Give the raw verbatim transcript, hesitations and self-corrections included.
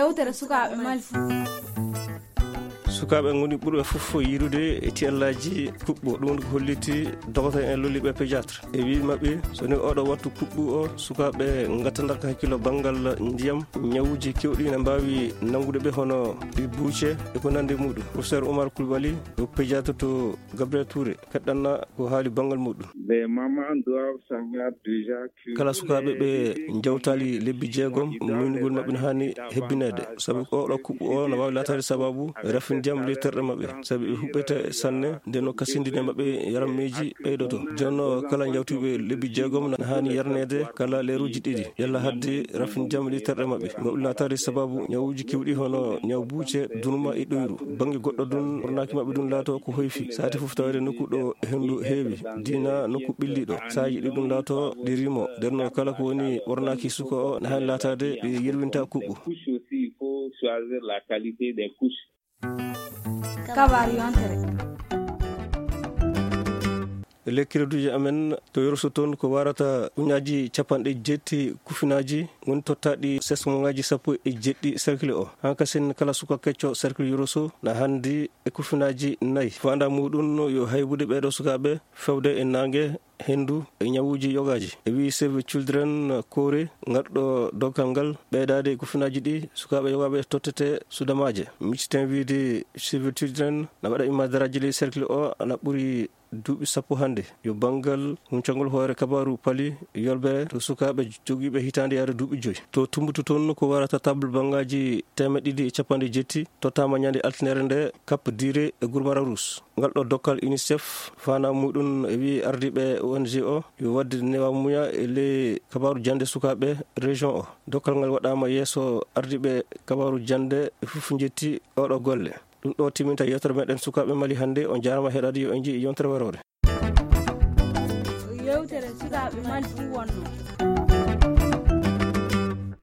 Yewtere sukaaɓe Mali. Sukaaɓe ngoni ɓurɓe fof yiidude e tiyallaaji kuɓɓo. Ɗum woni ko holliti dogoto en lolliiɓe pédiatre. E wii maɓɓe, so ni oɗo wattu kuɓɓu o, sukaaɓe ngattanda ko hakkilo banngal ndiyam, ñawuuji kewɗi ne mbaawi nanngude ɓe hono ɗi buuce e ko nandi muɗum. Professeur Oumar Coulibaly, ko pédiatre to Gabriel Touré, feɗɗanna ko haali banngal muɗum. Les mamans doivent savoir déjà que kala sukaaɓe ɓe njawtaali lebbi jeegom, muynugol maɓɓe ne haani hebbineede. Sabu ko oɗo kuɓɓu o no waawi laataade sababu rafin ndiyam ley terɗe maɓɓe. Sabu ɓe huɓɓete sanne, nden no kasindine maɓɓe yarammeeji ɓeydoto. Jonno kala njawtuɓe lebbi jeegom ne haani yarneede kala leeruuji ɗiɗi. Yalla hadde rafin ndiyam ley terɗe maɓɓe. Maɓɓe laataade sababu ñawuuji kewɗi hono ñaw buuce, dunuma e ɗoyru. Bannge goɗɗo ɗum, ɓornaaki maɓɓe ɗum laato ko hoyfi. Saati fof taweede nokku ɗo henndu heewi, diina nokku ɓilliɗo. Saaji ɗi ɗum laato ɗi rimo. Nden no kala ko woni ɓornaaki suka o ne haani laataade ɓe yerwinta kuɓɓu. Couche aussi, il faut choisir la qualité des couches. Kabaaru yontere. Lekkireduuji amen to Yoroso toon ko warata uñaaji capanɗe jeetti kufinaaji woni tottaaɗi sesmoŋaaji sappo e jeeɗiɗi cercle o. Hankasin kala suka kecco cercle Yoroso na handi e kufinaaji nayi. Faanda muɗum yo haybude ɓeeɗo sukaaɓe fewde e naange, henndu e ñawuuji yogaaji. E wii Save Children Koore ngarɗo dokkal ngal ɓeydaade e kufinaaji ɗi sukaaɓe yogaaɓe tottete sudamaaje. Micciten wiide Save Children na waɗa immadaraaji ley cercle o ana ɓuri duuɓi sappo hannde. Yo banngal huncangol hoore kabaaru pali yolbere to sukaaɓe jogiiɓe hitaande yaade duuɓi joyi. To Tumbutu toon ko warata table bangaaji teemeɗɗe ɗiɗi e capanɗe jeetti tottaama ñande altinere nde Cap Dire e Gurmara Rousse. Ngal ɗo dokkal UNICEF faandaare muɗum e wii ardiiɓe O N G o yo waɗde newamuya e ley kabaaru jannde sukaaɓe région o. Dokkal ngal waɗaama yeeso ardiiɓe kabaaru jannde e fof njetti oɗo golle. Ɗum ɗo timinta yewtere meɗen sukaaɓe Mali hannde. On jaarama heɗaade, yo en njii yontere waroore. Yewtere sukaaɓe Mali ɗum wonno.